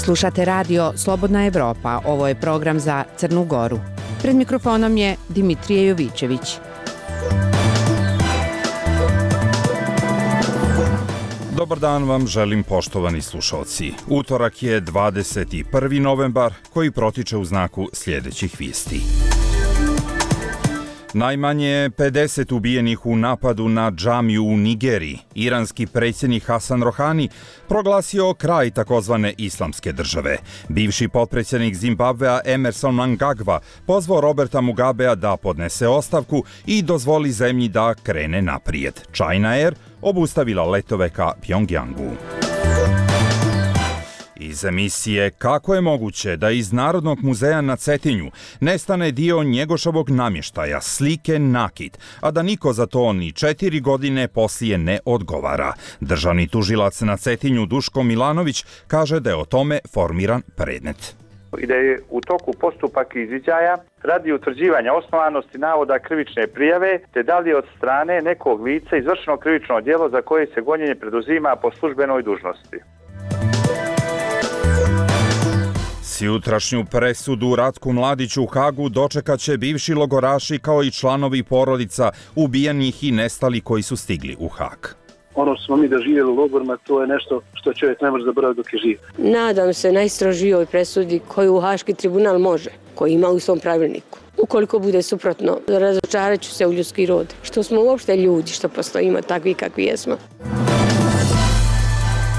Slušate radio Slobodna Evropa, ovo je program za Crnu Goru. Pred mikrofonom je Dimitrije Jovićević. Dobar dan vam želim, poštovani slušalci. Utorak je 21. novembar koji protiče u znaku sljedećih vijesti. Najmanje 50 ubijenih u napadu na džamiju u Nigeriji. Iranski predsjednik Hasan Rohani proglasio kraj takozvane islamske države. Bivši potpredsjednik Zimbabvea Emerson Mnangagwa pozvao Roberta Mugabea da podnese ostavku i dozvoli zemlji da krene naprijed. China Air obustavila letove ka Pjongjangu. Iz emisije Kako je moguće da iz Narodnog muzeja na Cetinju nestane dio Njegoševog namještaja, slike nakit, a da niko za to ni 4 godine poslije ne odgovara. Državni tužilac na Cetinju Duško Milanović kaže da je o tome formiran predmet. I da je u toku postupak izviđaja radi utvrđivanja osnovanosti navoda krivične prijave, te da li je od strane nekog lica izvršeno krivično djelo za koje se gonjenje preduzima po službenoj dužnosti. Jutrašnju presudu Ratku Mladiću u Hagu dočekat će bivši logoraši kao i članovi porodica ubijenih i nestali koji su stigli u Hag. Ono što smo mi doživjeli u logorima, to je nešto što čovjek ne može zaboraviti dok je živ. Nadam se najstrožijoj presudi koju Haški tribunal može, koji ima u svom pravilniku. Ukoliko bude suprotno, razočarat ću se u ljudski rod. Što smo uopšte ljudi, što postojimo takvi kakvi jesmo.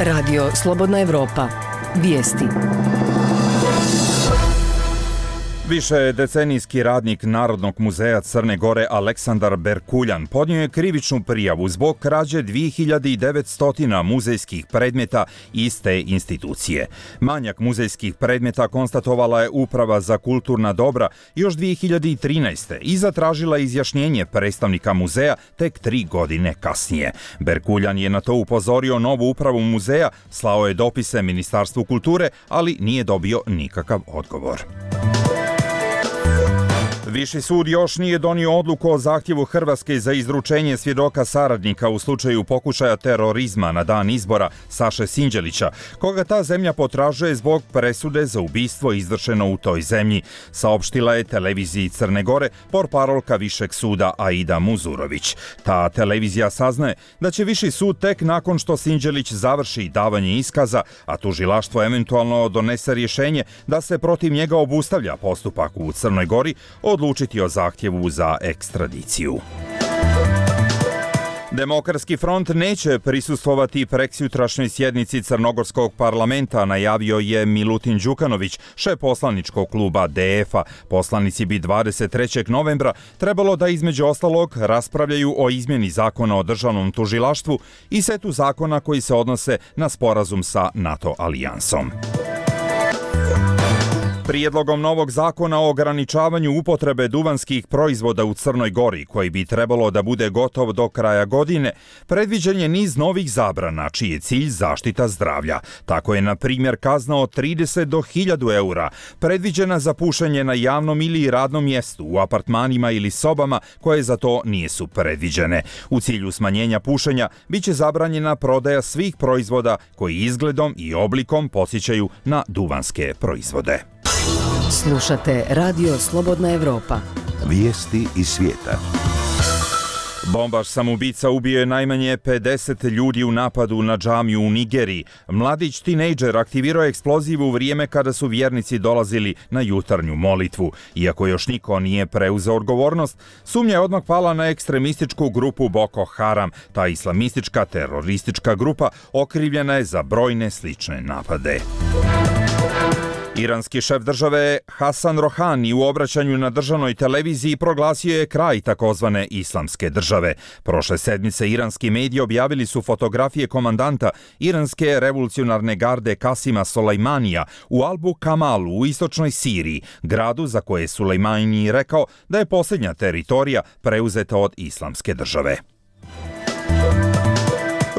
Radio Slobodna Evropa. Vijesti. Više decenijski radnik Narodnog muzeja Crne Gore Aleksandar Berkuljan podnio je krivičnu prijavu zbog krađe 2900 muzejskih predmeta iste institucije. Manjak muzejskih predmeta konstatovala je Uprava za kulturna dobra još 2013. i zatražila izjašnjenje predstavnika muzeja tek 3 godine kasnije. Berkuljan je na to upozorio novu upravu muzeja, slao je dopise Ministarstvu kulture, ali nije dobio nikakav odgovor. Viši sud još nije donio odluku o zahtjevu Hrvatske za izručenje svjedoka saradnika u slučaju pokušaja terorizma na dan izbora Saše Sinđelića, koga ta zemlja potražuje zbog presude za ubistvo izvršeno u toj zemlji, saopštila je televiziji Crne Gore portparolka Višeg suda Aida Muzurović. Ta televizija saznaje da će Viši sud tek nakon što Sinđelić završi davanje iskaza, a tužilaštvo eventualno donese rješenje da se protiv njega obustavlja postupak u Crnoj Gori, odlučiti o zahtjevu za ekstradiciju. Demokratski front neće prisustvovati preksjutrašnjoj sjednici Crnogorskog parlamenta, najavio je Milutin Đukanović, šef poslaničkog kluba DF-a. Poslanici bi 23. novembra trebalo da između ostalog raspravljaju o izmjeni zakona o državnom tužilaštvu i setu zakona koji se odnose na sporazum sa NATO alijansom. Prijedlogom novog zakona o ograničavanju upotrebe duvanskih proizvoda u Crnoj Gori, koji bi trebalo da bude gotov do kraja godine, predviđen je niz novih zabrana, čiji je cilj zaštita zdravlja. Tako je, na primjer, kazna od 30 do 1000 eura predviđena za pušenje na javnom ili radnom mjestu, u apartmanima ili sobama koje za to nisu predviđene. U cilju smanjenja pušenja biće zabranjena prodaja svih proizvoda koji izgledom i oblikom podsjećaju na duvanske proizvode. Slušate Radio Slobodna Evropa. Vijesti iz svijeta. Bombaš samoubica ubio je najmanje 50 ljudi u napadu na džamiju u Nigeriji. Mladić tinejdžer aktivirao je eksploziv u vrijeme kada su vjernici dolazili na jutarnju molitvu. Iako još niko nije preuzeo odgovornost, sumnja je odmah pala na ekstremističku grupu Boko Haram. Ta islamistička teroristička grupa okrivljena je za brojne slične napade. Iranski šef države Hasan Rohani u obraćanju na državnoj televiziji proglasio je kraj takozvane islamske države. Prošle sedmice iranski mediji objavili su fotografije komandanta iranske revolucionarne garde Kasima Solejmanija u Albu Kamalu u istočnoj Siriji, gradu za koje je Sulejmani rekao da je posljednja teritorija preuzeta od islamske države.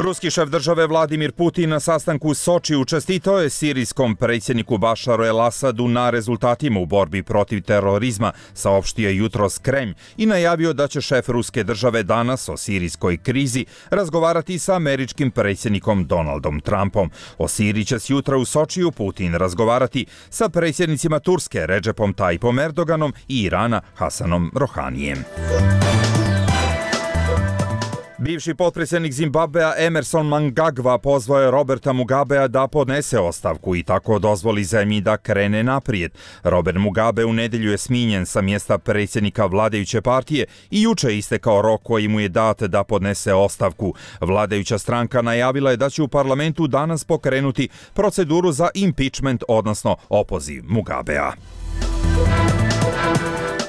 Ruski šef države Vladimir Putin na sastanku u Sočiju čestitao je sirijskom predsjedniku Bašaru el-Asadu na rezultatima u borbi protiv terorizma, saopštio jutros Kremlj i najavio da će šef ruske države danas o sirijskoj krizi razgovarati sa američkim predsjednikom Donaldom Trumpom. O Siriji će s jutra u Sočiju Putin razgovarati sa predsjednicima Turske Redžepom Tayyipom Erdoganom i Irana Hasanom Rohanijem. Bivši potpredsjednik Zimbabvea Emerson Mnangagwa pozvao je Roberta Mugabea da podnese ostavku i tako dozvoli zemlji da krene naprijed. Robert Mugabe u nedjelju je smijenjen sa mjesta predsjednika vladajuće partije i juče istekao rok koji mu je dat da podnese ostavku. Vladajuća stranka najavila je da će u parlamentu danas pokrenuti proceduru za impeachment, odnosno opoziv Mugabea.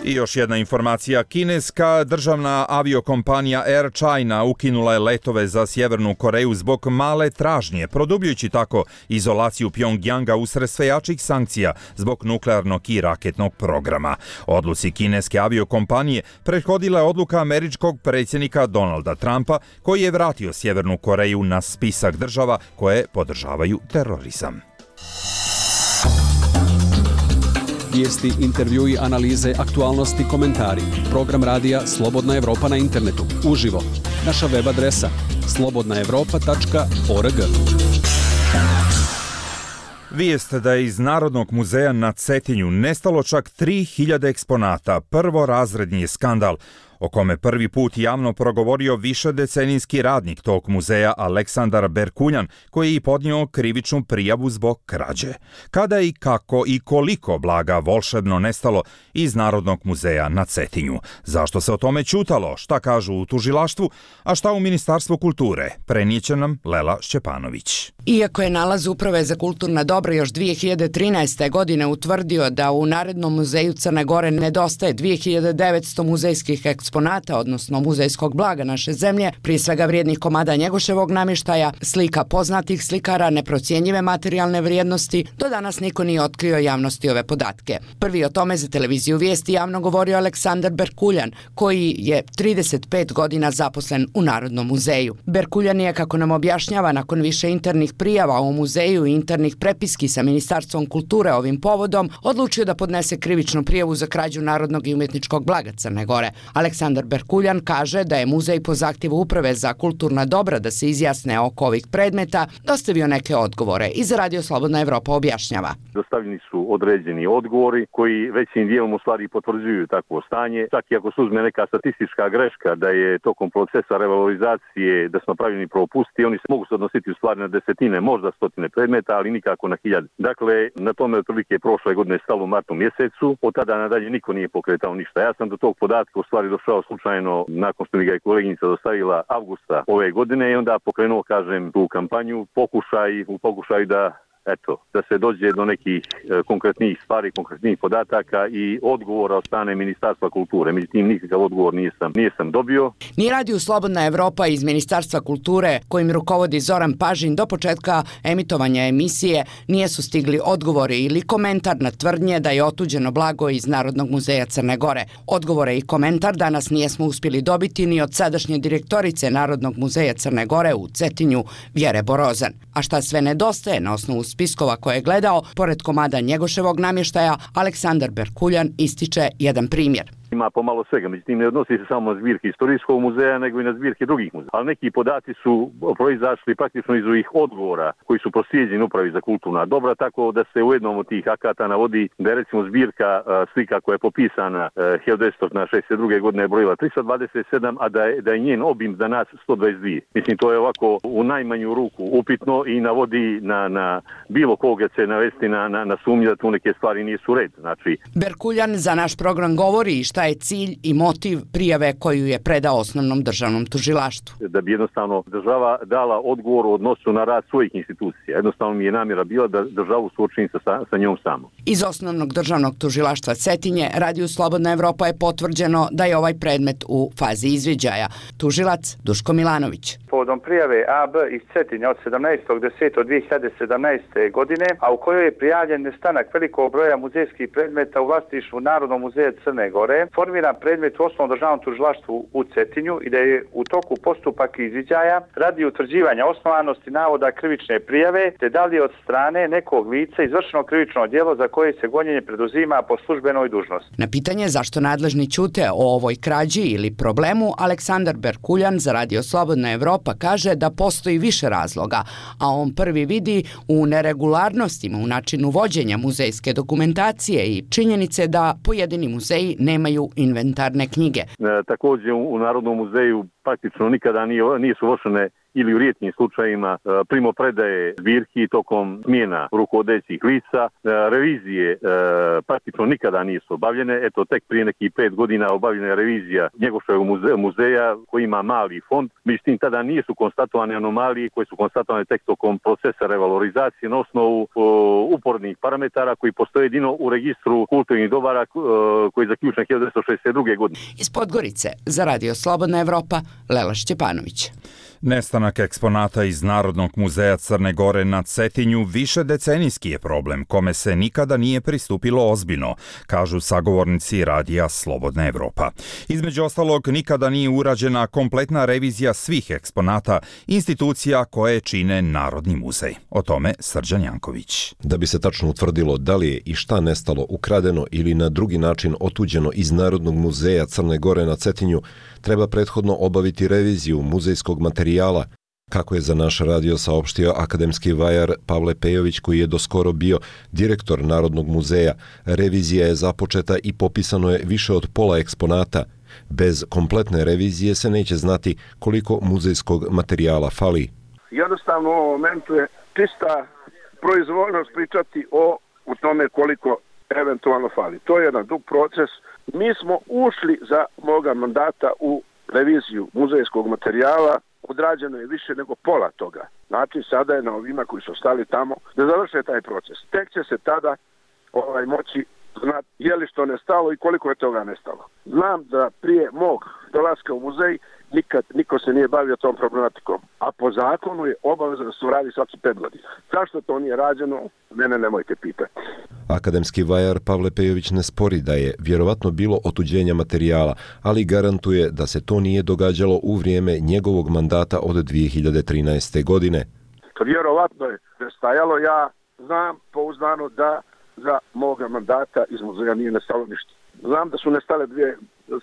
I još jedna informacija. Kineska državna aviokompanija Air China ukinula je letove za Sjevernu Koreju zbog male tražnje, produbljujući tako izolaciju Pjongjanga usred sve jačih sankcija zbog nuklearnog i raketnog programa. Odluci kineske aviokompanije prethodila je odluka američkog predsjednika Donalda Trumpa, koji je vratio Sjevernu Koreju na spisak država koje podržavaju terorizam. Vijesti, intervjui, analize, aktualnosti, komentari. Program radija Slobodna Evropa na internetu. Uživo. Naša web adresa slobodnaevropa.org. Vijest da je iz Narodnog muzeja na Cetinju nestalo čak 3000 eksponata. Prvorazredni je skandal o kome prvi put javno progovorio višedecenijski radnik tog muzeja Aleksandar Berkuljan, koji je i podnio krivičnu prijavu zbog krađe. Kada i kako i koliko blaga volšebno nestalo iz Narodnog muzeja na Cetinju? Zašto se o tome ćutalo? Šta kažu u tužilaštvu, a šta u Ministarstvu kulture? Prenijeće nam Lela Šćepanović. Iako je nalaz Uprave za kulturna dobra još 2013. godine utvrdio da u Narodnom muzeju Crne Gore nedostaje 2900 muzejskih eksponata, odnosno muzejskog blaga naše zemlje, prije svega vrijednih komada Njegoševog namještaja, slika poznatih slikara, neprocjenjive materijalne vrijednosti, do danas niko nije otkrio javnosti ove podatke. Prvi o tome za televiziju Vijesti javno govorio Aleksandar Berkuljan, koji je 35 godina zaposlen u Narodnom muzeju. Berkuljan je, kako nam objašnjava, nakon više internih prijava u muzeju i internih prepiski sa Ministarstvom kulture ovim povodom, odlučio da podnese krivičnu prijavu za krađu narodnog i umjetničkog blaga Crne Gore. Aleksandar Berkuljan kaže da je muzej po zahtjevu Uprave za kulturna dobra da se izjasne oko ovih predmeta dostavio neke odgovore i za Radio Slobodna Evropa objašnjava. Dostavljeni su određeni odgovori koji većim dijelom u stvari potvrđuju takvo stanje. Čak i ako se uzme neka statistička greška da je tokom procesa revalorizacije da smo napravljeni propusti, oni se mogu se odnositi u stvari na desetine, možda stotine predmeta, ali nikako na hiljade. Dakle, na tome otprilike prošle godine stalo u martu mjesecu, od tada nadalje niko nije pokretao ništa. Ja sam do tog podatka u stvari došao slučajno nakon što mi ga je koleginica dostavila avgusta ove godine i onda pokrenuo, kažem, tu kampanju, pokušaj da se dođe do nekih konkretnih stvari, konkretnih podataka i odgovora od strane Ministarstva kulture. Međutim, nikakav odgovor nisam dobio. Ni Radio Slobodna Evropa iz Ministarstva kulture, kojim rukovodi Zoran Pažin, do početka emitovanja emisije nisu stigli odgovori ili komentar na tvrdnje da je otuđeno blago iz Narodnog muzeja Crne Gore. Odgovore i komentar danas nijesmo uspjeli dobiti ni od sadašnje direktorice Narodnog muzeja Crne Gore u Cetinju, Vjere Borozan. A šta sve nedostaje na osnovu spiskova koje je gledao, pored komada Njegoševog namještaja, Aleksandar Berkuljan ističe jedan primjer. Ima pomalo svega, međutim ne odnosi se samo na zbirke istorijskog muzeja, nego i na zbirke drugih muzeja. Ali neki podaci su proizašli praktično iz ovih odgovora koji su proslijeđeni Upravi za kulturna dobra, tako da se u jednom od tih akata navodi da je recimo zbirka slika koja je popisana 1962. godine brojila 327, a da je njen obim za nas 122. Mislim, to je ovako u najmanju ruku upitno i navodi na bilo koga se navesti na sumnju da tu neke stvari nisu red. Znači, Berkuljan za naš program govori šta je cilj i motiv prijave koju je predao osnovnom državnom tužilaštvu. Da bi jednostavno država dala odgovor u odnosu na rad svojih institucija. Jednostavno mi je namjera bila da državu suočim sa njom samo. Iz osnovnog državnog tužilaštva Cetinje, Radio Slobodna Evropa je potvrđeno da je ovaj predmet u fazi izviđaja. Tužilac Duško Milanović. povodom prijave AB iz Cetinja od 17.10.2017. godine, a u kojoj je prijavljen nestanak velikog broja muzejskih predmeta u vlasništvu Narodnog muzeja Crne Gore, formiran predmet u Osnovnom državnom tužilaštvu u Cetinju i da je u toku postupak izviđaja radi utvrđivanja osnovanosti navoda krivične prijave, te da li je od strane nekog lica izvršeno krivično djelo za koje se gonjenje preduzima po službenoj dužnosti. Na pitanje zašto nadležni ćute o ovoj krađi ili problemu, Aleksandar Berkuljan za Radio Slobodna Evropa kaže da postoji više razloga, a on prvi vidi u neregularnostima u načinu vođenja muzejske dokumentacije i činjenice da pojedini muzeji nemaju inventarne knjige. Također u Narodnom muzeju praktično nikada nisu vršene ili u rijetkim slučajima primopredaje zbirki tokom smjena rukovodećih lica. Revizije praktično nikada nisu obavljene. Eto, tek prije nekih 5 godina obavljena je revizija Njegoševog muzeja koji ima mali fond. Međutim, tada nisu konstatovane anomalije koje su konstatovane tek tokom procesa revalorizacije na osnovu upornih parametara koji postoje jedino u registru kulturnih dobara koji je zaključen 1962. godine. Iz Podgorice za Radio Slobodna Evropa, Lela Šćepanović. Nestanak eksponata iz Narodnog muzeja Crne Gore na Cetinju višedecenijski je problem kome se nikada nije pristupilo ozbiljno, kažu sagovornici Radija Slobodna Evropa. Između ostalog, nikada nije urađena kompletna revizija svih eksponata institucija koje čine Narodni muzej. O tome Srđan Janković. Da bi se tačno utvrdilo da li je i šta nestalo, ukradeno ili na drugi način otuđeno iz Narodnog muzeja Crne Gore na Cetinju, treba prethodno obaviti reviziju muzejskog materijala, kako je za naš radio saopštio akademski vajar Pavle Pejović, koji je doskoro bio direktor Narodnog muzeja. Revizija je započeta i popisano je više od pola eksponata. Bez kompletne revizije se neće znati koliko muzejskog materijala fali. Jednostavno u ovom momentu je čista proizvoljnost pričati u tome koliko eventualno fali. To je jedan dug proces. Mi smo ušli za moga mandata u reviziju muzejskog materijala, odrađeno je više nego pola toga. Znači, sada je na ovima koji su stali tamo da završe taj proces. Tek će se tada moći znati je li što nestalo i koliko je toga nestalo. Znam da prije mog dolaska u muzej nikad niko se nije bavio tom problematikom, a po zakonu je obaveza da se radi svaki 5 godina. Zašto to nije rađeno, mene nemojte pitati. Akademski vajar Pavle Pejović ne spori da je vjerovatno bilo otuđenja materijala, ali garantuje da se to nije događalo u vrijeme njegovog mandata od 2013. godine. Vjerovatno je stajalo, ja znam pouzdano da za moga mandata iz muzeja nije nestalo ništa. Znam da su nestale 2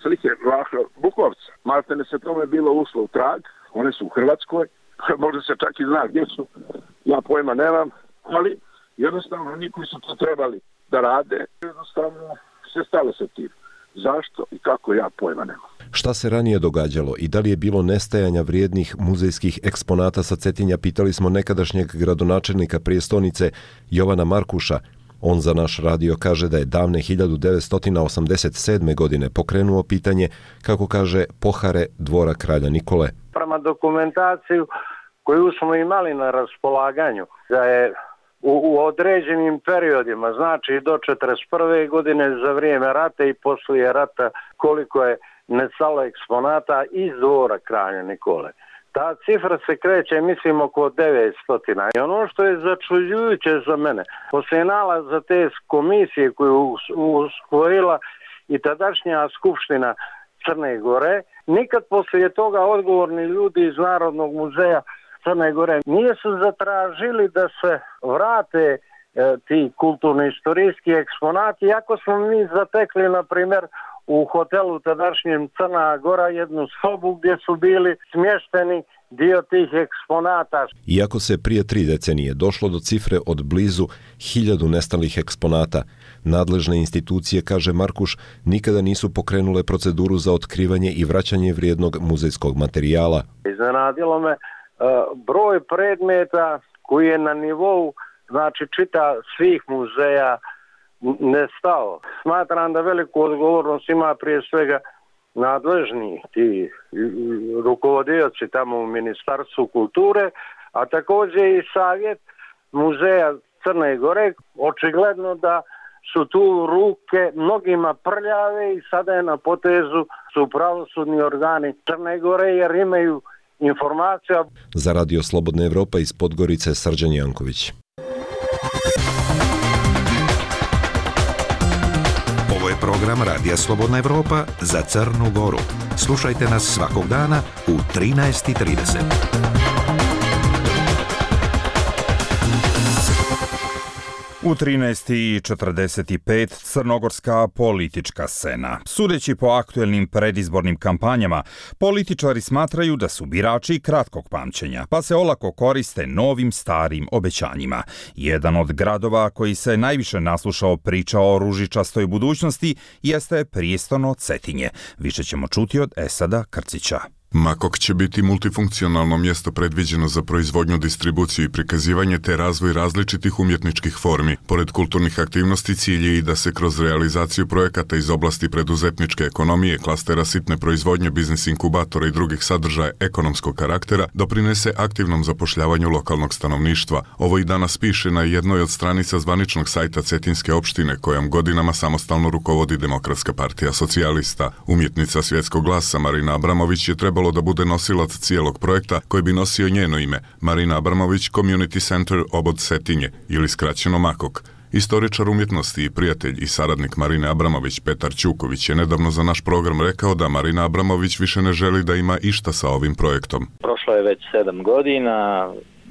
slike Vlaha Bukovca. Maltene se tome bilo ušlo u trag, one su u Hrvatskoj, možda se čak i zna gdje su, ja pojma nemam, ali jednostavno oni koji su to trebali da rade, jednostavno se stalo sa tim. Zašto i kako, ja pojma nemam. Šta se ranije događalo i da li je bilo nestajanja vrijednih muzejskih eksponata sa Cetinja, pitali smo nekadašnjeg gradonačelnika prijestolnice Jovana Markuša. On za naš radio kaže da je davne 1987. godine pokrenuo pitanje, kako kaže, pohare dvora kralja Nikole. Prema dokumentaciju koju smo imali na raspolaganju, da je u određenim periodima, znači do 1941. godine za vrijeme rata i poslije rata, koliko je nestalo eksponata iz dvora kralja Nikole. Ta cifra se kreće, mislim, oko 900. I ono što je začuđujuće za mene, poslije nalaza te komisije koju usvojila i tadašnja skupština Crne Gore, nikad poslije toga odgovorni ljudi iz Narodnog muzeja Crne Gore nisu zatražili da se vrate ti kulturno-istorijski eksponati, iako smo mi zatekli, na primjer, u hotelu tadašnjem Crna Gora jednu sobu gdje su bili smješteni dio tih eksponata. Iako se prije 3 decenije došlo do cifre od blizu 1000 nestalih eksponata, nadležne institucije, kaže Markuš, nikada nisu pokrenule proceduru za otkrivanje i vraćanje vrijednog muzejskog materijala. Iznenadilo me broj predmeta koji je na nivou, znači, čita svih muzeja nestao. Smatram da veliku odgovornost ima prije svega nadležni ti rukovodioci tamo u Ministarstvu kulture, a također i savjet muzeja Crne Gore. Očigledno da su tu ruke mnogima prljave i sada je na potezu su pravosudni organi Crne Gore, jer imaju informacija. Za Radio Slobodna Evropa iz Podgorice Srđan Janković. Ovo je program Radija Slobodna Evropa za Crnu Goru. Slušajte nas svakog dana u 13:30. U 13:45 crnogorska politička scena. Sudeći po aktuelnim predizbornim kampanjama, političari smatraju da su birači kratkog pamćenja, pa se olako koriste novim starim obećanjima. Jedan od gradova koji se najviše naslušao priča o ružičastoj budućnosti jeste prijestolno Cetinje. Više ćemo čuti od Esada Krcića. Makok će biti multifunkcionalno mjesto predviđeno za proizvodnju, distribuciju i prikazivanje te razvoj različitih umjetničkih formi. Pored kulturnih aktivnosti cilj je i da se kroz realizaciju projekata iz oblasti preduzetničke ekonomije, klastera sitne proizvodnje, biznis inkubatora i drugih sadržaja ekonomskog karaktera doprinese aktivnom zapošljavanju lokalnog stanovništva. Ovo i danas piše na jednoj od stranica zvaničnog sajta Cetinske opštine kojom godinama samostalno rukovodi Demokratska partija socijalista. Umjetnica Svjetskog glasa Marina Abramović je trebalo da bude nosilac cijelog projekta koji bi nosio njeno ime, Marina Abramović Community Center Obod Cetinje ili skraćeno Makok. Istoričar umjetnosti i prijatelj i saradnik Marine Abramović Petar Ćuković je nedavno za naš program rekao da Marina Abramović više ne želi da ima išta sa ovim projektom. Prošlo je već 7 godina,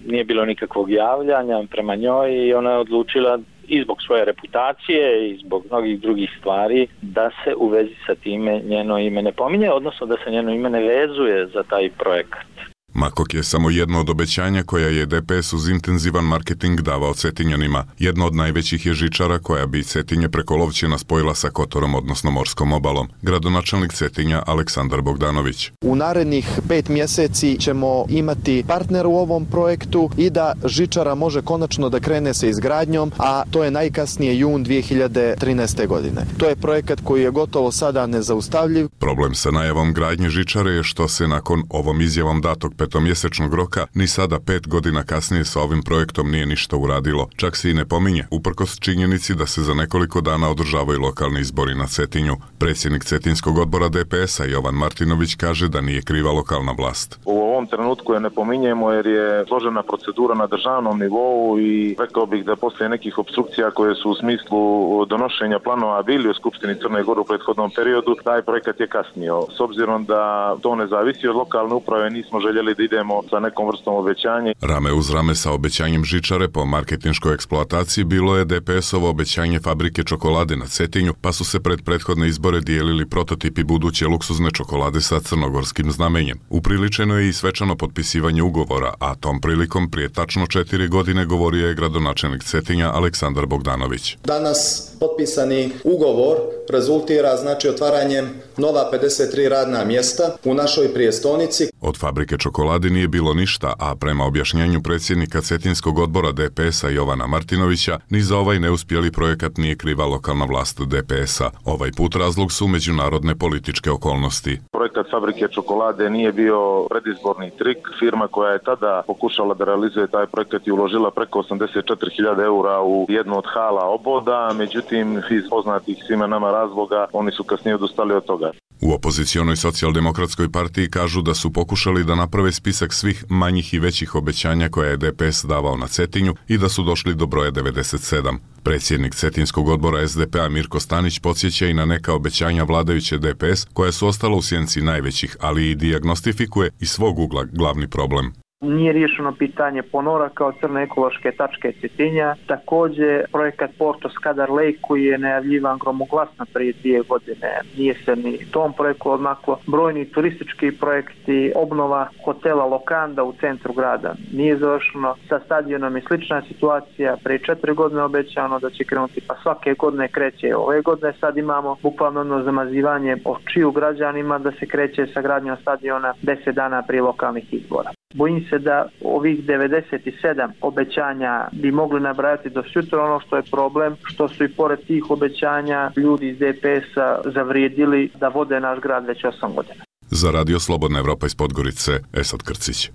nije bilo nikakvog javljanja prema njoj i ona je odlučila i zbog svoje reputacije i zbog mnogih drugih stvari da se u vezi sa time njeno ime ne pominje, odnosno da se njeno ime ne vezuje za taj projekat. Makok je samo jedno od obećanja koja je DPS uz intenzivan marketing davao Cetinjanima. Jedno od najvećih je žičara koja bi Cetinje preko Lovćena spojila sa Kotorom, odnosno morskom obalom. Gradonačelnik Cetinja Aleksandar Bogdanović. U narednih 5 mjeseci ćemo imati partner u ovom projektu i da žičara može konačno da krene sa izgradnjom, a to je najkasnije jun 2013. godine. To je projekat koji je gotovo sada nezaustavljiv. Problem sa najavom gradnje žičare je što se nakon ovom izjavom datog petomjesečnog roka ni sada 5 godina kasnije sa ovim projektom nije ništa uradilo. Čak se i ne pominje, uprkos činjenici da se za nekoliko dana održavaju lokalni izbori na Cetinju. Predsjednik Cetinskog odbora DPS-a Jovan Martinović kaže da nije kriva lokalna vlast. U ovom trenutku je ne pominjemo jer je složena procedura na državnom nivou i rekao bih da poslije nekih opstrukcija koje su u smislu donošenja planova bili u Skupštini Crne Gore u prethodnom periodu, taj projekat je kasnio. S obzirom da to ne zavisi od lokalne uprave, nismo željeli da idemo sa nekom vrstom obećanja. Rame uz rame sa obećanjem žičare po marketinškoj eksploataciji bilo je DPS-ovo obećanje fabrike čokolade na Cetinju, pa su se pred prethodne izbore dijelili prototipi buduće luksuzne čokolade sa crnogorskim znamenjem. Upriličeno je i svečano potpisivanje ugovora, a tom prilikom prije tačno 4 godine govorio je gradonačelnik Cetinja Aleksandar Bogdanović. Danas potpisani ugovor rezultira znači otvaranjem nova 53 radna mjesta u našoj prijestolnici. Od fabrike čokolade nije bilo ništa, a prema objašnjenju predsjednika Cetinskog odbora DPS-a Jovana Martinovića, ni za ovaj neuspjeli projekat nije kriva lokalna vlast DPS-a. Ovaj put razlog su međunarodne političke okolnosti. Projekat fabrike čokolade nije bio predizborni trik. Firma koja je tada pokušala da realizuje taj projekat i uložila preko 84.000 eura u jednu od hala Oboda, međutim iz poznatih svima nama razloga oni su kasnije odustali od toga. U opozicionoj socijaldemokratskoj partiji kažu da su pokušali da naprave spisak svih manjih i većih obećanja koje je DPS davao na Cetinju i da su došli do broja 97. Predsjednik Cetinskog odbora SDP-a Mirko Stanić podsjeća i na neka obećanja vladajuće DPS koja su ostala u sjenci najvećih, ali i dijagnostifikuje iz svog ugla glavni problem. Nije riješeno pitanje ponora kao crne ekološke tačke Cetinja. Također projekat Porto Skadar Lake koji je najavljivan gromoglasno prije 2 godine. Nije se ni tom projektu odmaklo. Brojni turistički projekti, obnova hotela Lokanda u centru grada nije završeno. Sa stadionom je slična situacija. Prije 4 godine obećano da će krenuti, pa svake godine kreće. Ove godine sad imamo bukvalno zamazivanje očiju građanima da se kreće sa gradnjom stadiona 10 dana prije lokalnih izbora. Bojim se da ovih 97 obećanja bi mogli nabrajati do sutra. Ono što je problem, što su i pored tih obećanja ljudi iz DPS-a zavrijedili da vode naš grad već 8 godina. Za Radio Slobodna Evropa iz Podgorice, Esad Krcić.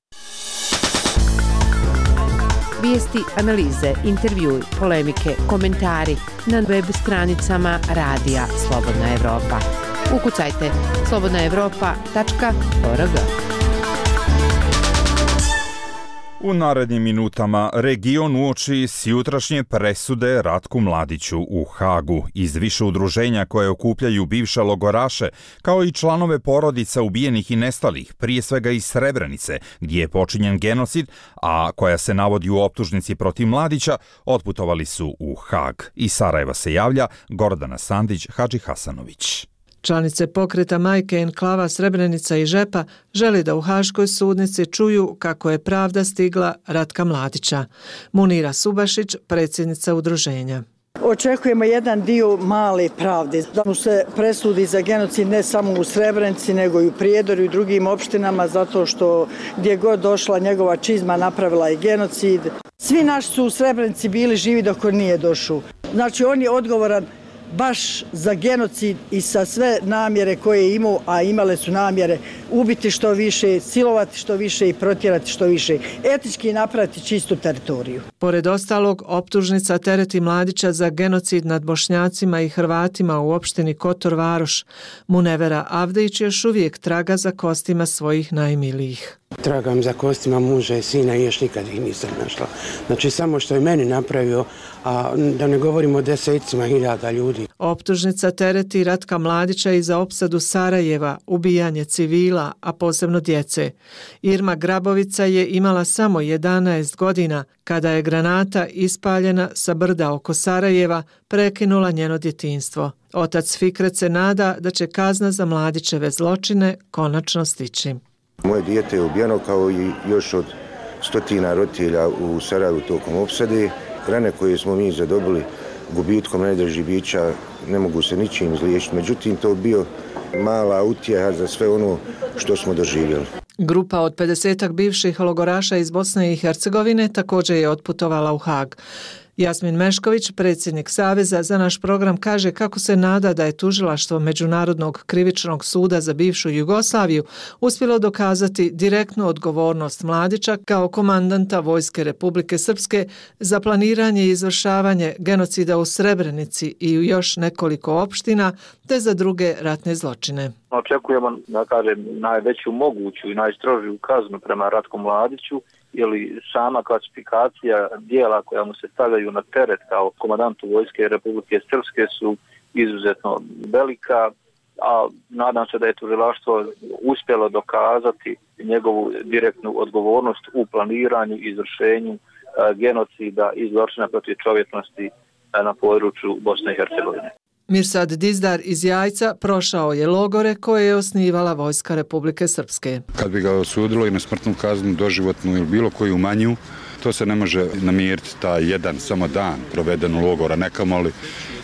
Vijesti, analize, intervjui, polemike, komentari na web stranicama Radija Slobodna Evropa. Ukucajte slobodnaevropa.org. U narednim minutama region uoči sjutrašnje presude Ratku Mladiću u Hagu iz više udruženja koje okupljaju bivše logoraše, kao i članove porodica ubijenih i nestalih, prije svega iz Srebrenice, gdje je počinjen genocid, a koja se navodi u optužnici protiv Mladića, otputovali su u Hag. Iz Sarajeva se javlja Gordana Sandić Hadžihasanović. Članice pokreta Majke enklava Srebrenica i Žepa želi da u Haškoj sudnici čuju kako je pravda stigla Ratka Mladića. Munira Subašić, predsjednica udruženja. Očekujemo jedan dio male pravde, da mu se presudi za genocid ne samo u Srebrenici, nego i u Prijedoru i drugim opštinama, zato što gdje god došla njegova čizma napravila je genocid. Svi naši su u Srebrenici bili živi dok on nije došao. Znači on je odgovoran baš za genocid i sa sve namjere koje je imao, a imale su namjere ubiti što više, silovati što više i protjerati što više, etički napraviti čistu teritoriju. Pored ostalog, optužnica tereti Mladića za genocid nad Bošnjacima i Hrvatima u opštini Kotor Varoš. Munevera Avdić još uvijek traga za kostima svojih najmilijih. Tragam za kostima muža i sina i još nikad ih nisam našla. Znači samo što je meni napravio, a da ne govorimo o desecima hiljada ljudi. Optužnica tereti Ratka Mladića i za opsadu Sarajeva, ubijanje civila, a posebno djece. Irma Grabovica je imala samo 11 godina kada je granata ispaljena sa brda oko Sarajeva prekinula njeno djetinjstvo. Otac Fikret se nada da će kazna za Mladićeve zločine konačno stići. Moje dijete je ubijeno kao i još od stotina roditelja u Sarajevu tokom opsade. Rane koje smo mi zadobili gubitkom najdražih bića ne mogu se ničim izliječiti. Međutim, to bio mala utjeha za sve ono što smo doživjeli. Grupa od 50-ak bivših logoraša iz Bosne i Hercegovine također je otputovala u Hag. Jasmin Mešković, predsjednik Saveza za naš program, kaže kako se nada da je tužilaštvo Međunarodnog krivičnog suda za bivšu Jugoslaviju uspjelo dokazati direktnu odgovornost Mladića kao komandanta Vojske Republike Srpske za planiranje i izvršavanje genocida u Srebrenici i u još nekoliko opština, te za druge ratne zločine. Očekujemo, da kažem, najveću moguću i najstrožiju kaznu prema Ratku Mladiću, ili sama klasifikacija dijela koja mu se stavljaju na teret kao komandantu Vojske Republike Srpske su izuzetno velika, a nadam se da je tužilaštvo uspjelo dokazati njegovu direktnu odgovornost u planiranju i izvršenju genocida i zločina protiv čovječnosti na području Bosne i Hercegovine. Mirsad Dizdar iz Jajca prošao je logore koje je osnivala Vojska Republike Srpske. Kad bi ga osudilo i na smrtnu kaznu, doživotnu ili bilo koju manju, to se ne može namiriti taj jedan samo dan proveden u logora, nekamoli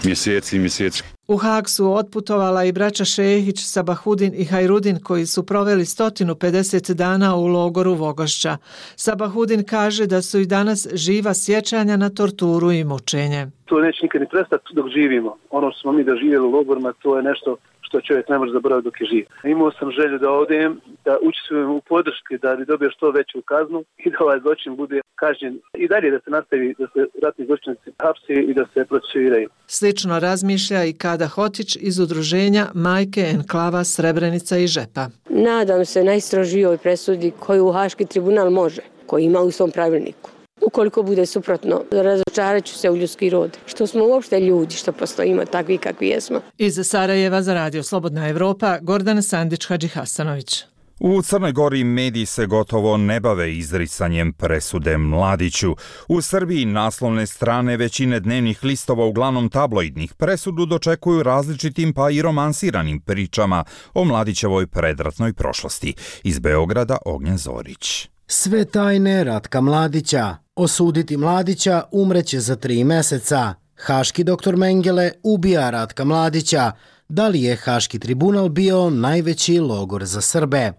mjeseci i mjeseci. U Hag su otputovala i braća Šehić, Sabahudin i Hajrudin koji su proveli 150 dana u logoru Vogošća. Sabahudin kaže da su i danas živa sjećanja na torturu i mučenje. To neće nikad ni prestati dok živimo. Ono što smo mi doživjeli u logorima, to je nešto što čovjek ne može zaboraviti dok je živ. Imao sam želju da odem, da učestvujem u podrški, da bi dobio što veću kaznu i da ovaj zločin bude kažnjen i dalje da se nastavi, da se ratni zločinci hapse i da se procesuiraju. Slično razmišlja i Kada Hotić iz udruženja Majke enklava Srebrenica i Žepa. Nadam se najstrožijoj presudi koju Haški tribunal može, koji ima u svom pravilniku. Ukoliko bude suprotno, razočarat ću se u ljudski rod. Što smo uopšte ljudi, što postojimo takvi kakvi jesmo. Iz Sarajeva za Radio Slobodna Evropa, Gordana Sandić Hadžihasanović. U Crnoj Gori mediji se gotovo ne bave izricanjem presude Mladiću. U Srbiji naslovne strane većine dnevnih listova, uglavnom tabloidnih, presudu dočekuju različitim pa i romansiranim pričama o Mladićevoj predratnoj prošlosti. Iz Beograda Ognjen Zorić. Sve tajne Ratka Mladića. Osuditi Mladića umreće za 3 mjeseca. Haški doktor Mengele ubija Ratka Mladića. Da li je Haški tribunal bio najveći logor za Srbe?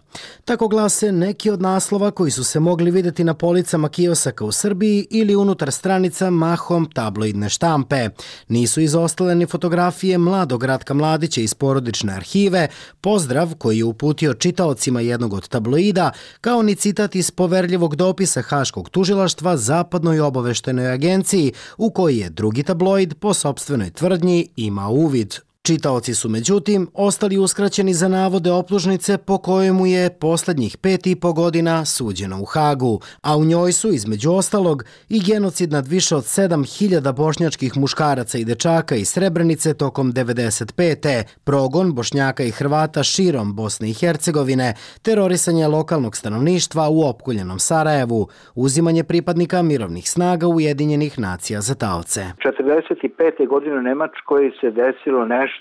Tako glase neki od naslova koji su se mogli vidjeti na policama kiosaka u Srbiji ili unutar stranica mahom tabloidne štampe. Nisu izostale ni fotografije mladog Ratka Mladića iz porodične arhive, pozdrav koji je uputio čitaocima jednog od tabloida, kao ni citat iz poverljivog dopisa Haškog tužilaštva Zapadnoj obaveštenoj agenciji, u koji je drugi tabloid po sopstvenoj tvrdnji imao uvid. Čitaoci su međutim ostali uskraćeni za navode optužnice po kojemu je posljednjih 5,5 godina suđeno u Hagu, a u njoj su između ostalog i genocid nad više od 7.000 bošnjačkih muškaraca i dečaka iz Srebrenice tokom 95. progon Bošnjaka i Hrvata širom Bosne i Hercegovine, terorisanje lokalnog stanovništva u opkoljenom Sarajevu, uzimanje pripadnika mirovnih snaga Ujedinjenih nacija za taoce. 45. godine u Nemačkoj se desilo nešto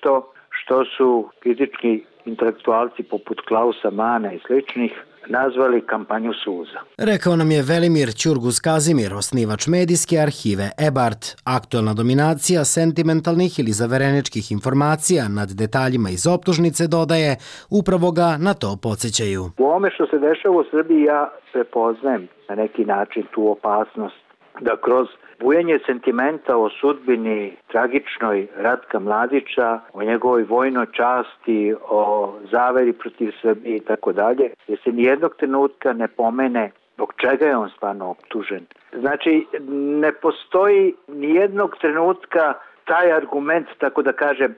što su kritički intelektualci poput Klausa Mana i sličnih nazvali kampanju suza. Rekao nam je Velimir Ćurgus Kazimir, osnivač medijske arhive Ebart. Aktualna dominacija sentimentalnih ili zavereničkih informacija nad detaljima iz optužnice, dodaje, upravo ga na to podsjećaju. U ovome što se dešava u Srbiji ja prepoznajem na neki način tu opasnost da kroz bujanje sentimenta o sudbini tragičnoj Ratka Mladića, o njegovoj vojnoj časti, o zaveri protiv Srbije i tako dalje, jer se nijednog trenutka ne pomene zbog čega je on stvarno optužen. Znači, ne postoji nijednog trenutka taj argument, tako da kaže,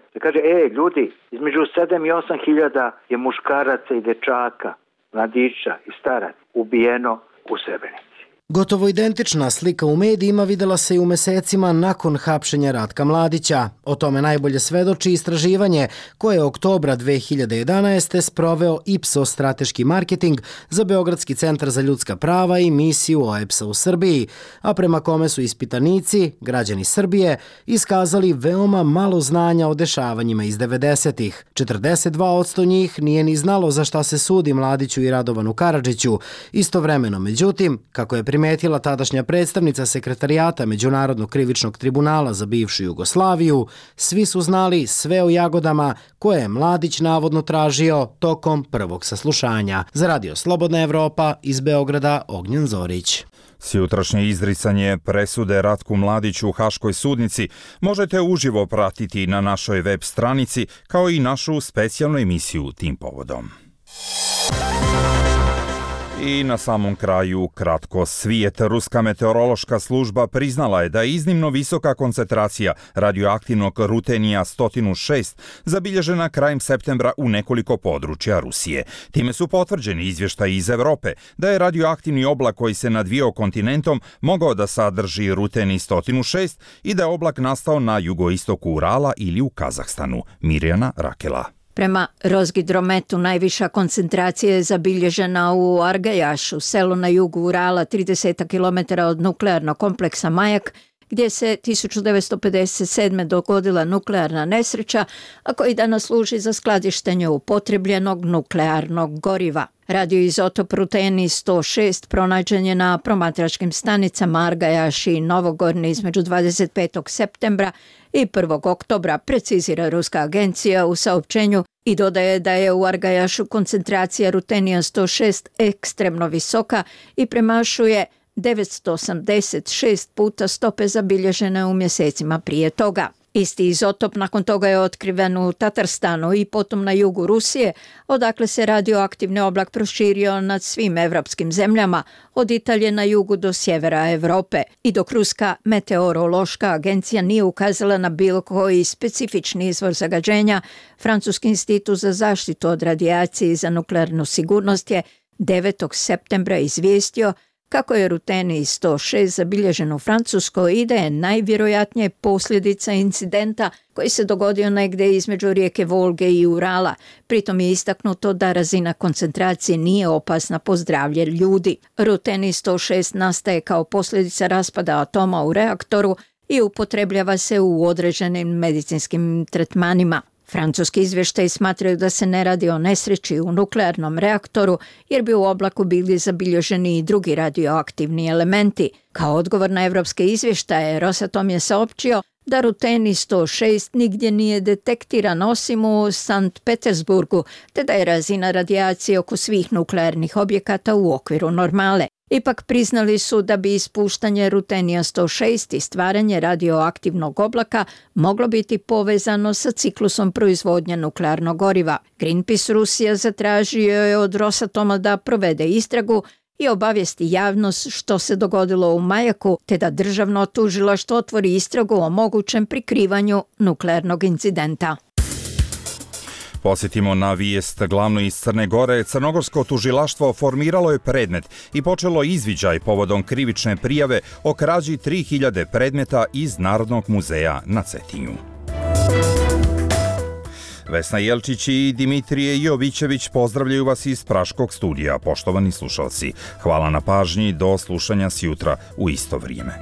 ljudi, između 7 i 8 hiljada je muškaraca i dečaka, mladića i staraca ubijeno u Srebrenici. Gotovo identična slika u medijima videla se i u mesecima nakon hapšenja Ratka Mladića. O tome najbolje svedoči istraživanje koje je oktobra 2011. sproveo Ipsos strateški marketing za Beogradski centar za ljudska prava i misiju OEBS-a u Srbiji, a prema kome su ispitanici, građani Srbije, iskazali veoma malo znanja o dešavanjima iz 90-ih. 42% njih nije ni znalo za šta se sudi Mladiću i Radovanu Karadžiću. Istovremeno, međutim, kako je primetila tadašnja predstavnica sekretarijata Međunarodnog krivičnog tribunala za bivšu Jugoslaviju, svi su znali sve o jagodama koje je Mladić navodno tražio tokom prvog saslušanja. Za Radio Slobodna Evropa iz Beograda, Ognjen Zorić. Sjutrašnje izricanje presude Ratku Mladiću u Haškoj sudnici možete uživo pratiti na našoj web stranici, kao i našu specijalnu emisiju tim povodom. I na samom kraju kratko svijet. Ruska meteorološka služba priznala je da je iznimno visoka koncentracija radioaktivnog rutenija 106 zabilježena krajem septembra u nekoliko područja Rusije. Time su potvrđeni izvještaji iz Evrope da je radioaktivni oblak koji se nadvijao kontinentom mogao da sadrži ruteni 106 i da je oblak nastao na jugoistoku Urala ili u Kazahstanu. Mirjana Rakela. Prema Rozgidrometu najviša koncentracija je zabilježena u Argajašu, selu na jugu Urala, 30 km od nuklearnog kompleksa Majak, gdje se 1957. dogodila nuklearna nesreća, a koji danas služi za skladištenje upotrebljenog nuklearnog goriva. Radioizotop ruteni 106 pronađen je na promatračkim stanicama Argajaš i Novogorni između 25. septembra i 1. oktobra, precizira ruska agencija u saopćenju i dodaje da je u Argajašu koncentracija rutenija 106 ekstremno visoka i premašuje 986 puta stope zabilježene u mjesecima prije toga. Isti izotop nakon toga je otkriven u Tatarstanu i potom na jugu Rusije, odakle se radioaktivni oblak proširio nad svim evropskim zemljama, od Italije na jugu do sjevera Europe. I dok Ruska meteorološka agencija nije ukazala na bilo koji specifični izvor zagađenja, Francuski institut za zaštitu od radijacije i za nuklearnu sigurnost je 9. septembra izvijestio kako je rutenij 106 zabilježen u Francuskoj i da je najvjerojatnije posljedica incidenta koji se dogodio negdje između rijeke Volge i Urala. Pritom je istaknuto da razina koncentracije nije opasna po zdravlje ljudi. Rutenij 106 nastaje kao posljedica raspada atoma u reaktoru i upotrebljava se u određenim medicinskim tretmanima. Francuski izvještaji smatraju da se ne radi o nesreći u nuklearnom reaktoru jer bi u oblaku bili zabilježeni i drugi radioaktivni elementi. Kao odgovor na evropske izvještaje, Rosatom je saopćio da rutenij 106 nigdje nije detektiran osim u Sankt Petersburgu, te da je razina radijacije oko svih nuklearnih objekata u okviru normale. Ipak priznali su da bi ispuštanje rutenija 106 i stvaranje radioaktivnog oblaka moglo biti povezano sa ciklusom proizvodnje nuklearnog goriva. Greenpeace Rusija zatražio je od Rosatoma da provede istragu i obavijesti javnost što se dogodilo u Majaku, te da državno tužilaštvo otvori istragu o mogućem prikrivanju nuklearnog incidenta. Posjetimo na vijest glavno iz Crne Gore. Crnogorsko tužilaštvo formiralo je predmet i počelo izviđaj povodom krivične prijave o krađi 3000 predmeta iz Narodnog muzeja na Cetinju. Vesna Jelčić i Dimitrije Jovićević pozdravljaju vas iz Praškog studija, poštovani slušalci. Hvala na pažnji, do slušanja sjutra u isto vrijeme.